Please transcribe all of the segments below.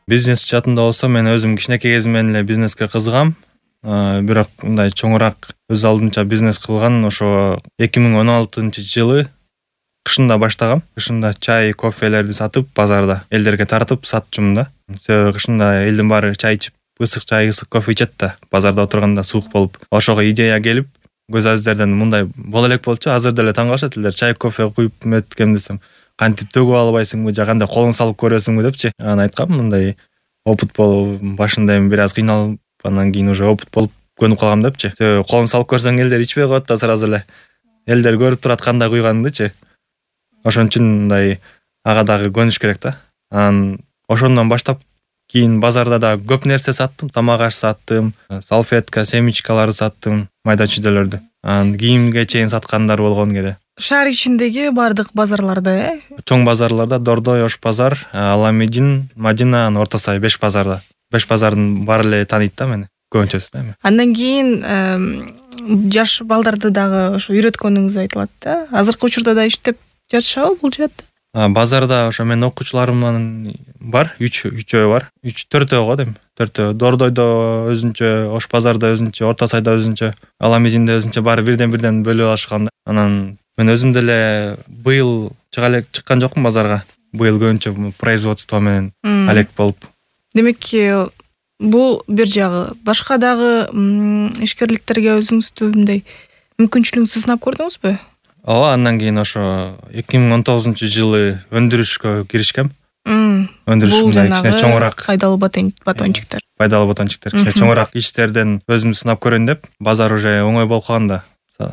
Бизнес жаатында болсо мен өзүм кичинекей кезимден эле бизнеске кызыгам. Бирок мындай чоңураак өз алдынча бизнес кылган ошо 2016-жылы кышында баштагам. Кышында чай, кофелерди сатып базарда элдерге тартып сатчумун да. Себеби кышында элдин баары чай ичип, ысык чай, ысык кофе ичет да. Базарда отурганда суук болуп. Ошого идея келип, көз азиздерден мындай боло элек болчу. Азыр деле таң калышат элдер. Чай, кофе куюп эметкем десем, кантип төгүп албайсыңбы, же кандай колуң салып көрөсүңбү депчи. Анан айткам, мындай опыт болуп, башында эми бир аз кыйналып, андан кийин уже опыт болуп көнүп калгам депчи. Себеби колуң салып көрсөң элдер ичпей коет да сразу эле. Элдер көрүп турат кандай куйганыңдычы. Ошон үчүн мындай ага дагы көнүш керек да. Анан ошондон баштап кийин базарда да көп нерсе саттым. Тамак аш саттым, салфетка, семечкаларды саттым, майда чүйдөлөрдү. Анан кийимге чейин саткандар болгон кээде. Шаар ичиндеги бардык базарларда, Чоң базарларда Дордой, Ош базар, Аламедин, Мадина, Орто Сай 5 базарда. 5 базардын баары эле тааныйт да мени. Көбүнчөсү да эми. Андан кийин жаш балдарды дагы ошо үйрөткөнүңүз айтылат да. Азыркы учурда да иштеп жатышабы бул жаатта? Базарда ошо менин окуучуларымдын бар, 3 бар. 4 го дейм. 4. Дордойдо өзүнчө, Ош базарда өзүнчө, Орто Сайда өзүнчө, Аламединде өзүнчө баары бирден бөлүп алышкан да. Анан мен өзүм деле быйыл чыккан жокмун базарга. Быйыл көбүнчө производство менен алек болуп. Демек, бул бир жагы. Башка дагы ишкерликтерге өзүңүздү мындай мүмкүнчүлүгүңүздү сынап көрдүңүзбү? Ооба, андан кийин ошо 2019-жылы өндүрүшкө киришкем. Өндүрүш мындай кичине чоңураак пайдалуу батончуктар. Кичине чоңураак иштерден өзүмдү сынап көрөйүн деп, базар уже оңой болуп калганда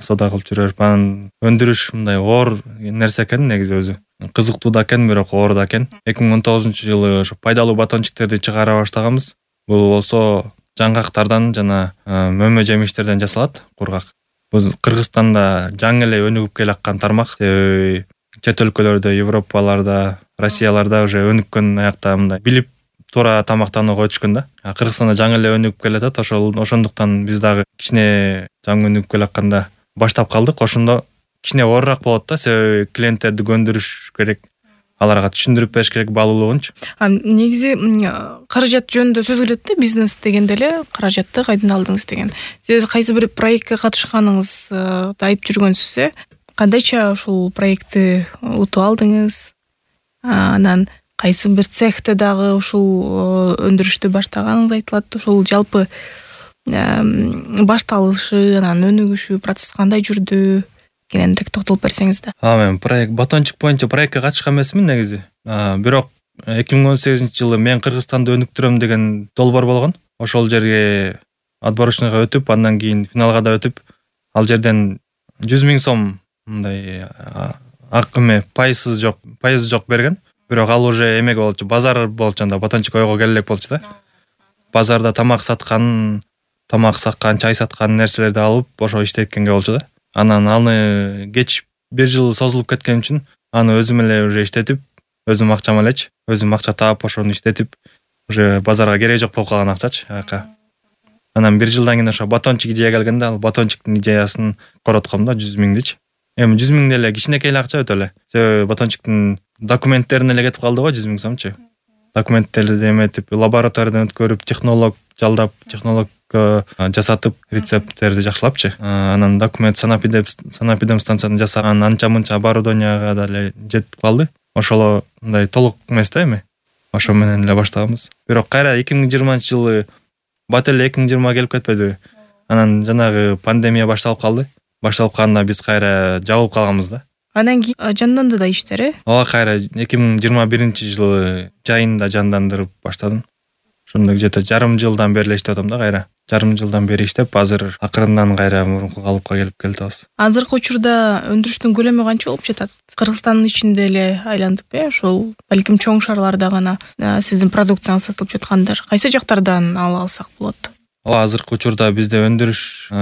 соода кылып жүрөбүз. Анан өндүрүш мындай оор нерсе экен негизи өзү. Кызыктуу да экен, бирок оор да экен. 2019-жылы ошо пайдалуу батончуктерди чыгара баштаганбыз. Бул болсо жаңгактардан жана мөмө жемиштерден жасалат, кургак. Биз Кыргызстанда жаңы эле өнүгүп келаткан тармак. Себеби чет өлкөлөрдө, Европаларда, Россияларда уже өнүккөн аякта мындай билип туура тамактанууга өтүшкөн да. Кыргызстанда жаңы эле өнүгүп келатат. Ошондуктан биз дагы кичине жаңы өнүгүп келатканда баштап калдык. Ошондо кичине оорураак болот да, себеби клиенттерди көндүрүш керек. Аларга түшүндүрүп бериш керек баалуулугунчу. Негизи каражат жөнүндө сөз келет да, бизнес дегенде эле каражатты кайдан алдыңыз деген. Сиз кайсы бир проектке катышканыңызды айтып жүргөнсүз, кандайча ушул проектти утуп алдыңыз? Анан кайсы бир цехте дагы ушул өндүрүштү баштаганыңыз айтылат. Ушул жалпы башталышы, анан өнүгүшү процесс кандай жүрдү? Кененирээк токтолуп берсеңиз да. Мен батончук боюнча проектке катышкан эмесмин негизи. Бирок 2018-жылы мен Кыргызстанды өнүктүрөм деген долбоор болгон. Ошол жерге отборочныйга өтүп, андан кийин финалга да өтүп, ал жерден 100 000 сом мындай пайызы жок берген. Бирок ал уже эмеге болчу, базар болчу, анда батончук ойго келе элек болчу да. Базарда тамак саккан, чай саткан нерселерди алып, ошо иштеткенге болчу да. Анан аны кеч 1 жыл созулуп кеткен үчүн аны өзүм эле уже иштетип, өзүм акчам элечи, өзүм акча таап, ошону иштетип, уже базарга кереги жок болуп калган акчачы аяка. Анан 1 жылдан кийин ошо батончук идея келгенде, ал батончуктун идеясын коротком да, 100 000-дичи. Эми 100 000 деле кичинекей эле акча өтө эле. Себеби батончуктун документтерине эле кетип калды го 100 000 сомчу. Документтерди эметип, лабораториядан өткөрүп, технолог жалдап, жасатып, рецепттерди жакшылапчы. Анан документ санапидем станциядан жасаган анча-мынча оборудованияга деле жетип калды. Ошоло мындай толук эмес да эми. Ошо менен эле баштаганбыз. Бирок кайра 2020-жылы бат эле 2020 келип кетпедиби? Анан жанагы пандемия башталып калды. Башталып калганда биз кайра жабылып калганбыз да. Андан кийин жанданды да иштер, Ооба, кайра 2021-жылы жайында жандандырып баштадым. Ошондо где-то жарым жылдан бери эле иштеп атам да кайра. Жарым жылдан бери иштеп, азыр акырындан кайра мурунку калыпка келип келатабыз. Азыркы учурда өндүрүштүн көлөмү канча болуп жатат? Кыргызстандын ичинде эле айланып, ошол балким чоң шаарларда гана сиздин продукцияңыз сатылып жаткандар. Кайсы жактардан ала алсак болот? Азыркы учурда бизде өндүрүш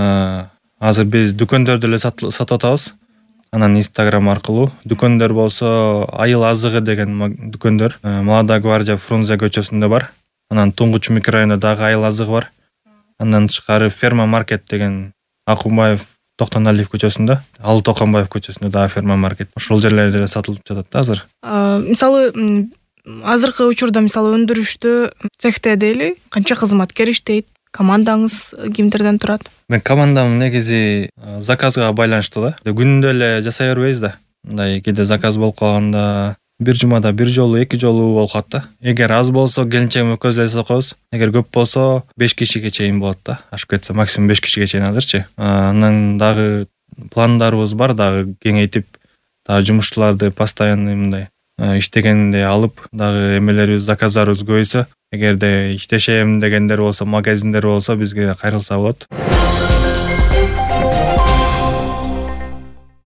азыр биз дүкөндөрдө эле сатып атабыз. Анан Instagram аркылуу. Дүкөндөр болсо Айыл азыгы деген дүкөндөр Молодая гвардия Фрунзе көчөсүндө бар. Анан Туңгуч микрорайонунда дагы Айыл азыгы бар. Андан тышкары Ферма маркет деген Акунбаев Токтоналиев көчөсүндө, Алы Токонбаев көчөсүндө дагы Ферма маркет. Ошол жерлерде эле сатылып жатат да азыр. Мисалы азыркы учурда мисалы өндүрүштө цехте дейли канча кызматкер иштейт, командаңыз кимдерден турат? Мен командам негизи заказга байланыштуу да. Күнүндө эле жасай бербейбиз да. Мындай кээде заказ болуп калганда бир жумада бир жолу, эки жолу болуп калат да. Эгер аз болсо келинчегим экөөбүз эле жасап коебуз. Эгер көп болсо 5 кишиге чейин болот да. Ашып кетсе максимум 5 кишиге чейин азырчы. Анан дагы пландарыбыз бар, дагы кеңейтип, дагы жумушчуларды постоянный мындай иштегенде алып, дагы эмелерибиз, заказдарыбыз көбөйсө, эгерде иштешем дегендер болсо, магазиндер болсо бизге кайрылса болот.